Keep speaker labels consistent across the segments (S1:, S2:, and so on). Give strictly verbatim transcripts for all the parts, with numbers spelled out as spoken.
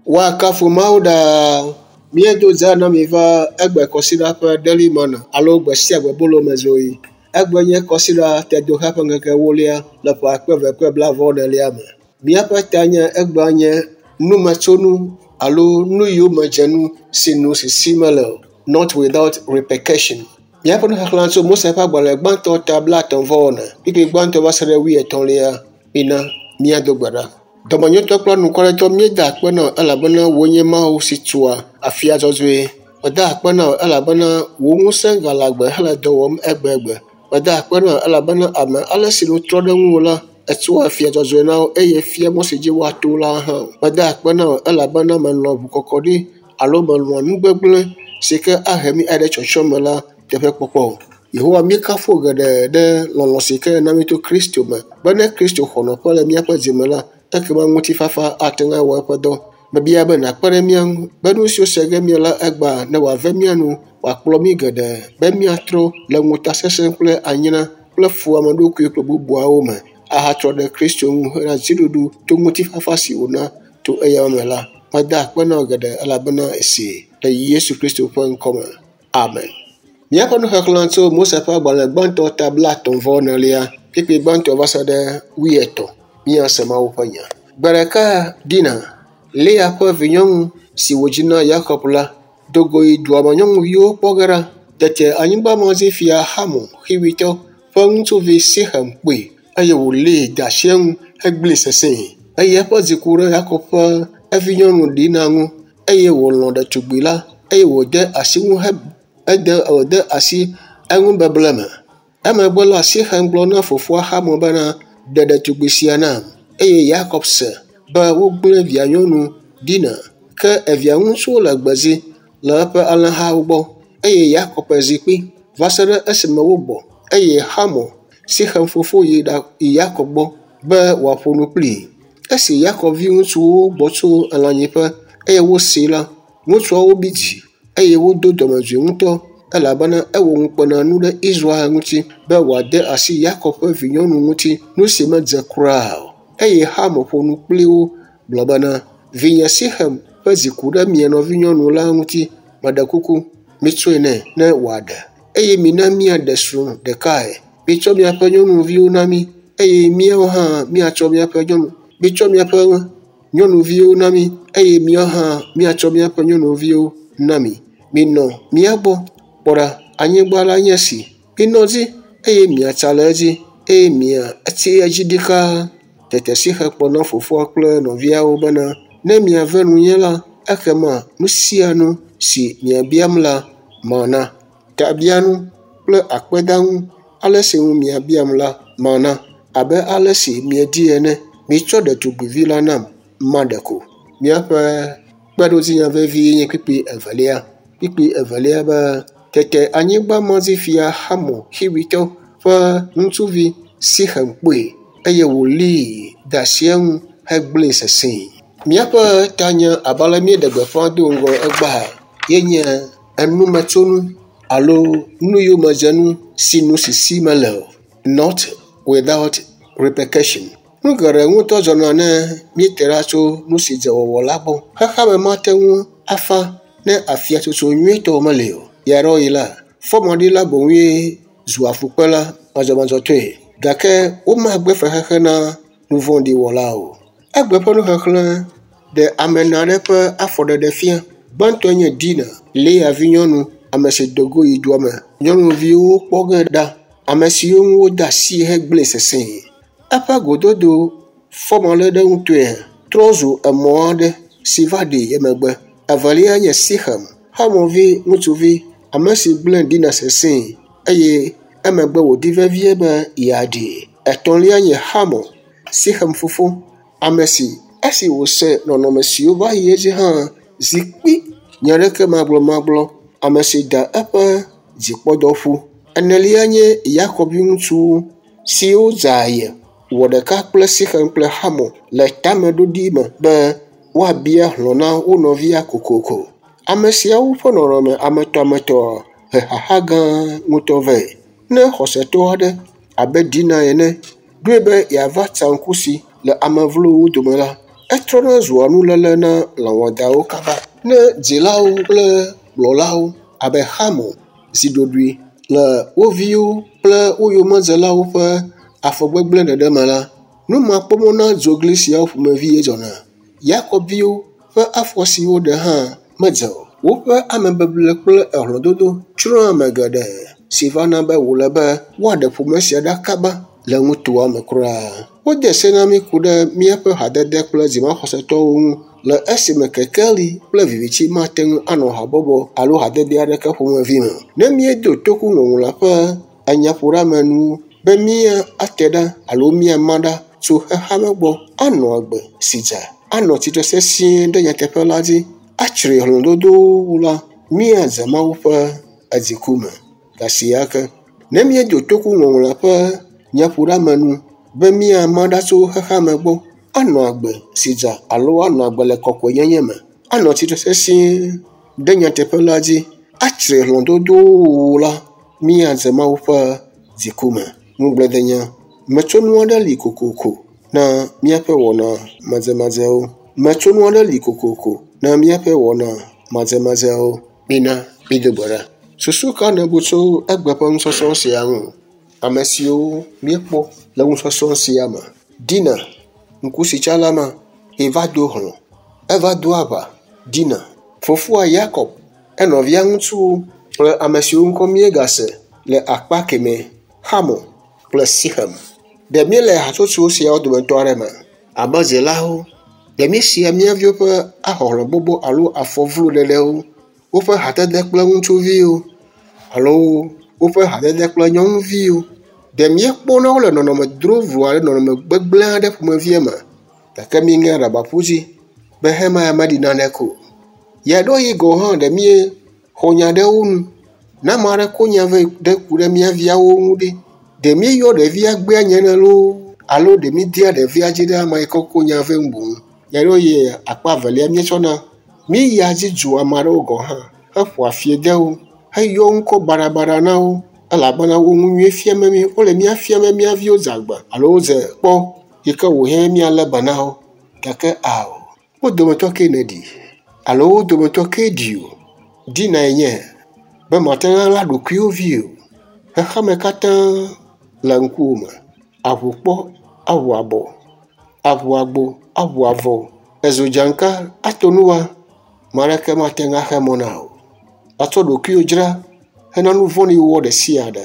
S1: Woakafu Mawu ɖaa. Míedo dzaa na mi va egbe kɔsiɖa ƒe Daily Manna alo gbe sia gbe bolomezoɣi. Egbe nye kɔsiɖa tedoxe ƒe ŋkeke ewolia le ƒe akpe eve kple blaeve-vɔ-enelia me. Míaƒe ta nye egbea nye numetsonu alo nuyomedzenu si nu sisi mele o. Not without repercussion. Míaƒe nuxexlẽ tso Mose ƒe agbalẽ gbãtɔ ta blaetɔ̃ vɔ ene, kpukpui gbãtɔ va se ɖe wuietɔ̃lia. Mina míado gbe ɖa. Dɔmenyotɔ kple anukwaretɔ míeda akpe na wò elabena wòe nye Mawu si tua afia dzɔdzɔe. Meda akpe na wò elabena wò ŋusẽ gale agbe hele dɔ wɔm egbegbe. Meda akpe na wò elabena ame ale si nu trɔ ɖe ŋuwò la, ètua afia dzɔdzɔe na wo eye fia mɔ si dzi woato la hã. Meda akpe na wò elabena mèlɔ̃ ʋukɔkɔɖi alo mèlɔ̃ nu gbegblẽ si ke ahe mí ayi ɖe tsɔtsrɔ̃ me la teƒe kpɔkpɔ o. Yehowa míekafu wò geɖe ɖe lɔlɔ̃ si ke nèna mí to Kristo me be ne Kristo xɔ nɔƒe le míaƒe dzime la, ekema ŋutifafa ate ŋu awɔ eƒe dɔ. Mebia be nàkpe ɖe mía ŋu be nu siwo se ge míele egbea ne wòave mía nu, wòakplɔ mí geɖe be míatrɔ le ŋutasesẽ kple anyra kple fuameɖokui kple bubuawo me ahatrɔ ɖe Kristo ŋu hena dziɖuɖu to ŋutifafa si wòna to eya me la. Meda akpe na wò geɖe elabena èsee le Yesu Kristo ƒe ŋkɔme. Amen. Míaƒe nuxexlẽ tso Mose ƒe agbalẽ gbãtɔ ta blaetɔ̃ vɔ enelia, kpukpui gbãtɔ va se ɖe wuietɔ̃. Míase Mawu ƒe nya. Gbe ɖeka Dina, Lea ƒe vinyɔnu si wòdzi na Yakob la, do go yi dua me nyɔnuviwo kpɔ ge ɖa. Tete anyigbamazifia Hamor Xiwitɔ ƒe ŋutsuvi Sixem kpɔe eye wòlée de asi eŋu hegblẽe sesẽe. Eye eƒe dzi ku ɖe Yakob ƒe evinyɔnu Dina ŋu eye wòlɔ̃ ɖetugbi la eye wòde asi ŋu he ede wòde asi eŋubeble me. Emegbe la Sixem gblɔ na fofoa Hamor bena, ɖe ɖetugbi sia nam. Eye Yakob se be wogblẽ vianyɔnu Dina, ke evia ŋutsuwo le gbedzi le eƒe alẽhawo gbɔ. Eye Yakob zi kpi va se ɖe esime wogbɔ. Eye Hamor, Sixem fofo yi ɖa yi Yakob gbɔ be wòaƒo nu kplii. Esi Yakob viŋutsuwo gbɔ tso elãnyiƒe eye wosee la, ŋutsuawo bi dzi eye wodo dɔmedzoe ŋutɔ elabena ewɔ ŋukpenanu ɖe Israel ŋuti be wòade asi Yakob ƒe vinyɔnu ŋuti, nu si medze kura o. Eye Hamor ƒo nu kpli wo gblɔ bena, vinye Sixem ƒe dzi ku ɖe mia nɔvinyɔnu la ŋuti, meɖe kuku, mitsɔe nɛ ne wòaɖe. Eye mina míaɖe srɔ̃ ɖekae. Mitsɔ miaƒe nyɔnuviwo na mí eye míawo hã míatsɔ míaƒe nyɔnu mitsɔ miaƒe nyɔnuviwo na mí eye míawo hã míatsɔ míaƒe nyɔnuviwo na mi. Minɔ mía gbɔ. Kpɔ ɖa, anyigba la nye esi. Minɔ edzi eye miatsa le edzi eye miatsi edzi ɖikaa. Tete Sixem gblɔ na fofoa kple nɔviawo bena, ne miave nunye la, ekema nu sia nu si miabiam la, mana. Tabianu kple akpedanu ale si nu miabiam la, mana. Abe ale si miedi ene. Mitsɔ ɖetugbivi la nam, maɖe ko. Míaƒe kpeɖodzinya vevi nye kpukpui evelia. Kpukpui evelia be, tete anyigbamazifia Hamor Xiwitɔ ƒe ŋutsuvi Sixem kpɔe eye wòlée de asi eŋu hegblẽe sesẽe. Míaƒe tanya abe ale míeɖe gbeƒã do ŋgɔ egbea ye nye enumetsonu alo nuyomedzenu si nu sisi mele o. Not without repercussion. Nu geɖe ŋutɔ dzɔna ne míete ɖa tso nu si dze wɔwɔ la gbɔ. Xexeame mate ŋu afa ne afiatsotso nyuietɔ meli o. Ɣeaɖewoɣi la, fɔmaɖila boŋue zua fukpela madzɔmadzɔtɔe gake womagbe fexexe na nu vɔ̃ɖi wɔla o. Egbe ƒe nuxexlẽ ɖe ame ene aɖe ƒe afɔɖeɖe fia. Gbãtɔe nye Dina, Lea vinyɔnu, ame si do go yi dua me. Nyɔnuviwo kpɔ ge ɖa, ame siwo ŋu wode asi hegblẽe sesẽe. Eƒe gododo fɔmaɖeɖeŋutɔe trɔ zu emɔ aɖe si va ɖee emegbe. Evelia nye Sixem, Hamor vi ŋutsuvi, ame si gblẽ Dina sesẽe eye emegbe wòdi vevie be yeaɖee. Etɔ̃lia nye Hamor, Sixem fofo, ame si esi wòse nɔnɔme siwo va yi edzi hã zi kpi nya aɖeke magblɔmagblɔ, ame si da eƒe dzikpɔdɔ ƒu. Enelia nye Yakob viŋutsuwo siwo dze aye wɔ ɖeka kple Sixem kple Hamor le tameɖoɖi me be woabia hlɔ̃ na wo nɔvia kokoko. Ame siawo ƒe nɔnɔme ametɔametɔ he xaxa gã ŋutɔ vɛ. Ne xɔsetɔ aɖe abe Dina ene ɖoe be yeava tsa ŋku si le ame vlowo dome la, etrɔna zua nuléle na lãwɔdawo kaba. Ne dzilawo kple kplɔlawo abe Hamor zi ɖoɖoe le wo viwo kple wo yomedzelawo ƒe afɔgbegblẽ ɖeɖe me la, numakpɔmɔ na dzogli siawo ƒomevi ye dzɔna. Yakob viwo ƒe afɔ si woɖe hã medze o. Woƒe amebeble kple ehlɔ̃dodo tsrɔ̃ ame geɖe si va na be wòle be woaɖe ƒome sia ɖa kaba le nutoa me kura. Wode se na mí ku ɖe míaƒe hadede kple dzimaxɔsetɔwo ŋu le esime kekeli kple viviti mate ŋu anɔ habɔbɔ alo hadede aɖeke ƒomevi me. Ne míedo toku ŋɔŋlɔa ƒe enyaƒoɖeamenu be míate ɖa alo míama ɖa tso xexeame gbɔ, anɔ agbe si dze, anɔ tsitre sesĩe ɖe nyateƒe la dzi, atsri hlɔ̃dodowo la, míadze Mawu ƒe edziku me. Gasia ke, ne míedo toku ŋɔŋlɔa ƒe nyaƒoɖeamenu be míama ɖa tso xexeame gbɔ, anɔ agbe si dze alo anɔ agbe le kɔkɔenyenye me, anɔ tsitre sesĩe ɖe nyateƒe la dzi, atsri hlɔ̃dodowo la, míadze Mawu ƒe dziku me. Ŋugbledenya, metsonu aɖe li kokoko na míaƒe wɔna madzemadzewo. Metsonu aɖe li kokoko na míaƒe wɔna madzemadzewo. Mina mído gbe ɖa. Susu ka nèbu tso egbe ƒe nusɔsrɔ̃ sia ŋu? Ame siwo míekpɔ le nusɔsrɔ̃ sia me. Dina, ŋkusitsala ma, eva do hlɔ̃, eva do aʋa. Dina, fofoa Yakob, enɔvia ŋutsuwo kple ame siwo ŋkɔ míegase le akpa kemɛ, Hamor kple Sixem. Ɖe míele hatsotso siawo dometɔ aɖe me? Abe dzilawo, ɖe míesia mía viwo ƒe ahɔhlɔ̃gbɔgbɔ alo afɔvloɖeɖewo, woƒe hadede kple ŋutsuviwo alo woƒe hadede kple nyɔnuviwo? Ɖe míekpɔna wo le nɔnɔme drovlo alo nɔnɔme gbegblẽ aɖe ƒomevie me? Gake míeŋe aɖaba ƒu dzi be hema ya meɖi naneke o. Ɣeaɖewoɣi gɔ̃ hã ɖe míexɔ nya ɖe wo nu. Ne ame aɖe ko nya vɛ ɖe ku ɖe mía viawo ŋu ɖe, ɖe míeyɔ ɖevia gbea nye ne loo alo ɖe mídea ɖevia dzi ɖe ame yi ke ko nya vɛ ŋu boŋ. Ɣeaɖewoɣi akpa evelia míetsɔna míeyia dzi dzua ame aɖewo gɔ̃ hã heƒoa fi de wo heyɔ ŋkɔ baɖabaɖa na wo elabena wo nu nyui fiam mí wole mía fiam be mía viwo dze agba alo wodze kpɔ yi ke wòhiã míalé be na wo. Gake ao, wo dometɔ kee nèɖi alo wo dometɔ kee ɖi o. Dinae nye be mate ŋu aɣla ɖokuiwò vi o. Xexeame katã le ŋkuwò me. Aʋu kpɔ, aʋu abɔ, aʋu agbo, aʋu avɔ, ezo dzaŋka ato nuwa, ame aɖeke mate ŋu axe mɔ na o. Atsɔ ɖokuiwò dzra hena nu vɔ̃ɖi wɔwɔ ɖe sia ɖe.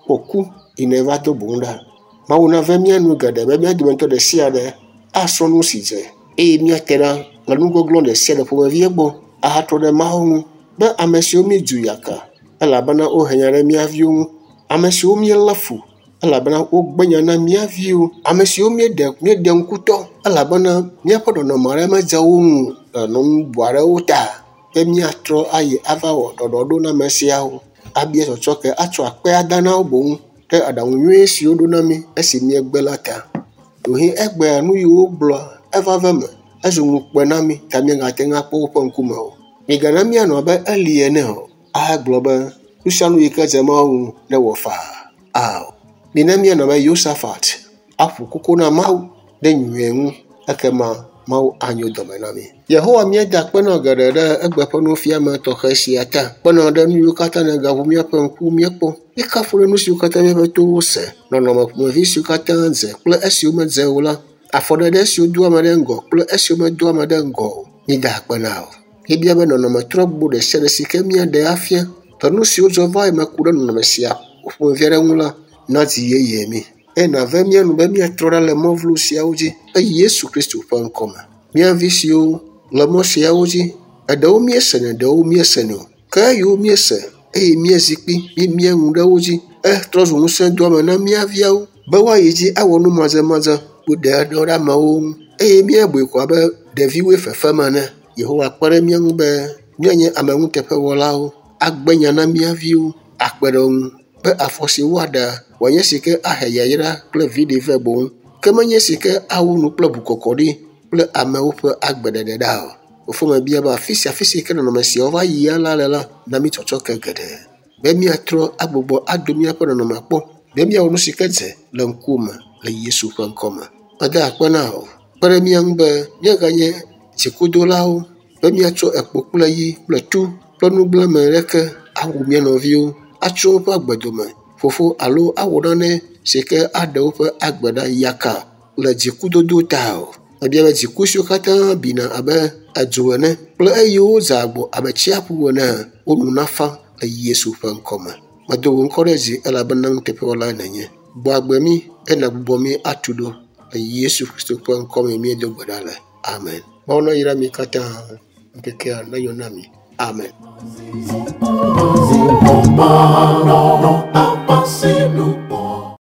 S1: Kpɔ ku yi neva do boŋ ɖa. Mawu nave mía nu geɖe be mía dometɔ ɖe sia ɖe asrɔ̃ nu si dze eye míate ɖa le nugbɔgblɔ ɖe sia ɖe ƒomevie gbɔ ahatrɔ ɖe Mawu ŋu be ame siwo míedu yaka elabena wohe nya ɖe mía viwo ŋu, ame siwo míelé fu elabena wogbe nya na mía viwo, ame siwo míeɖe míeɖe ŋkutɔ elabena míaƒe nɔnɔme aɖe medze wo ŋu le nu bubu aɖewo ta be míatrɔ ayi ava wɔ ɖɔɖɔɖo na ame siawo, abia tsɔtsɔke atsɔ akpe ada na wo boŋ ɖe aɖaŋu nyui siwo ɖo na mí esi míegbe la ta. Ɖewohĩ egbea nu yiwo wogblɔ eva va eme ezu ŋukpe na mí ta míagate ŋu akpɔ woƒe ŋkume o. Migana míanɔ abe Eli ene o ahagblɔ be nu sia nu yi ke dze Mawu ŋu newɔ faa. Ao, mina míanɔ abe Yosafat aƒo koko na Mawu ɖe nyuie ŋu ekema Mawu anyo dɔme na mí. Yehowa míeda akpe na geɖe ɖe egbe ƒe nufiame tɔxɛ sia ta. Kpena ɖe nu yiwo katã nègaʋu míaƒe ŋku míekpɔ. Míekafu ɖe nu siwo katã míaƒe towo se, nɔnɔme ƒomevi siwo katã dze kple esiwo medze o la, afɔɖeɖe siwo doa ame ɖe ŋgɔ kple esiwo medoa ame ɖe ŋgɔ o. Míeda akpe na wò. Míebia be nɔnɔme trɔgbo ɖe sia ɖe si ke míaɖe afia le nu siwo dzɔ va yi me ku ɖe nɔnɔme sia ƒomevi aɖe ŋu la, nadzi yeye mí. Eye nàve mía nu be míatrɔ ɖa le mɔ vlo siawo dzi le Yesu Kristo ƒe ŋkɔme. Mía vi siwo le mɔ siawo dzi, eɖewo míesenɛ, ɖewo míesenɛ o. Ke eyiwo míese eye míezi kpi, míemia nu ɖe wo dzi etrɔ zu ŋusẽdoame na mía viawo be woayi dzi awɔ nu madzemadze woɖe ɖe ɖe amewo ŋu eye míabui ko abe ɖeviwoe fefem ene. Yehowa kpe ɖe mía ŋu be míanye ame nuteƒewɔlawo, agbe nya na mía viwo, akpe ɖe wo ŋu be afɔ si woaɖe wòanye si ke ahe yayra kple viɖe vɛ boŋ ke menye si ke awu nu kple ʋukɔkɔɖi kple amewo ƒe agbeɖeɖe ɖa o. Fofo mebia be afi sia afi si ke nɔnɔme siawo va yia la le la, na mí tsɔtsɔke geɖe be míatrɔ agbugbɔ ado míaƒe nɔnɔme kpɔ be míawɔ nu si ke dze le ŋkuwòme le Yesu ƒe ŋkɔme. Meda akpe na wò Kpe ɖe mía ŋu be míaganye dzikudolawo be míatsɔ ekpo kple yi kple tu kple nugblẽme ɖeke awu mía nɔviwo, atso woƒe agbe dome fofo alo awɔ nane si ke aɖe woƒe agbe ɖa yaka le dzikudodo ta o. Mebia be dziku siwo katã bina abe edzo ene kple eyiwo za agbo abe tsiaƒu ene wo nu nafa le Yesu ƒe ŋkɔme. Medo wò ŋkɔ ɖe dzi elabena nuteƒewɔlae nènye. Gbɔ agbe mí eye nàgbugbɔ mí atu ɖo le Yesu Kristo ƒe ŋkɔme míedo gbe ɖa le. Amen. Mawu nayra mi katã. Ŋkekea nenyo na mi. Amen.
S2: No, no, no,